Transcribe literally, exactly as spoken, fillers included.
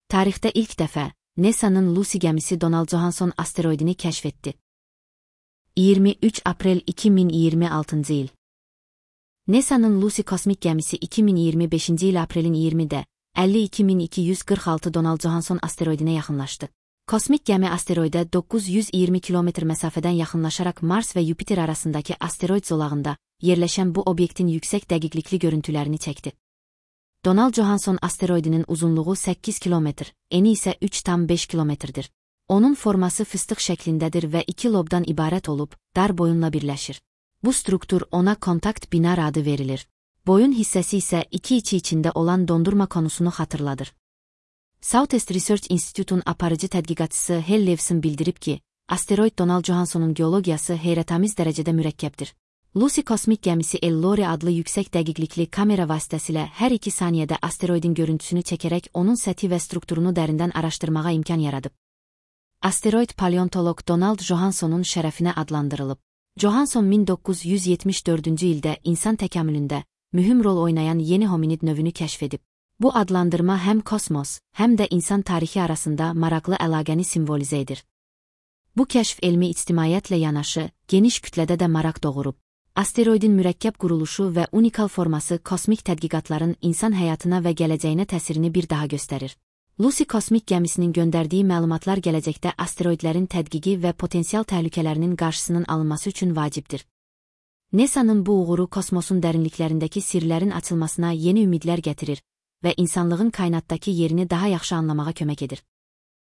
Tarixdə ilk dəfə NASA'nın Lucy gəmisi Donald Johanson asteroidini kəşf etdi. iyirmi üç aprel iki min iyirmi altıncı il. NASA'nın Lucy kosmik gəmisi iki min iyirmi beşinci il aprelin iyirmide əlli iki min iki yüz qırx altı Donald Johanson asteroidinə yaxınlaşdı. Kosmik gəmi asteroidə doqquz yüz iyirmi kilometr məsafədən yaxınlaşaraq Mars və Yupiter arasındakı asteroid zolağında yerləşən bu obyektin yüksək dəqiqlikli görüntülərini çəkdi. Donald Johanson asteroidinin uzunluğu səkkiz kilometr, eni isə üç tam beş kilometrdir. Onun forması fıstıq şəklindədir və iki lobdan ibarət olub, dar boyunla birləşir. Bu struktur ona kontakt binar adı verilir. Boyun hissəsi isə iki içi içində olan dondurma konusunu xatırladır. Southeast Research Institute'un aparıcı tədqiqatçısı Hal Lewson bildirib ki, asteroid Donald Johnson'un geologiyası heyrətamiz dərəcədə mürəkkəbdir. Lucy kosmik gəmisi El-Lori adlı yüksək dəqiqlikli kamera vasitəsilə hər iki saniyədə asteroidin görüntüsünü çəkərək onun səthi və strukturunu dərindən araşdırmağa imkan yaradıb. Asteroid paleontoloq Donald Johnson'un şərəfinə adlandırılıb. Johanson min doqquz yüz yetmiş dördüncü ildə insan təkamülündə mühüm rol oynayan yeni hominid növünü kəşf edib. Bu adlandırma həm kosmos, həm də insan tarixi arasında maraqlı əlaqəni simvolizə edir. Bu kəşf elmi ictimaiyyətlə yanaşı, geniş kütlədə də maraq doğurub. Asteroidin mürəkkəb quruluşu və unikal forması kosmik tədqiqatların insan həyatına və gələcəyinə təsirini bir daha göstərir. Lucy kosmik gəmisinin göndərdiyi məlumatlar gələcəkdə asteroidlərin tədqiqi və potensial təhlükələrinin qarşısının alınması üçün vacibdir. NASA'nın bu uğuru kosmosun dərinliklərindəki sirlərin açılmasına yeni ümidlər gətirir və insanlığın kainatdakı yerini daha yaxşı anlamağa kömək edir.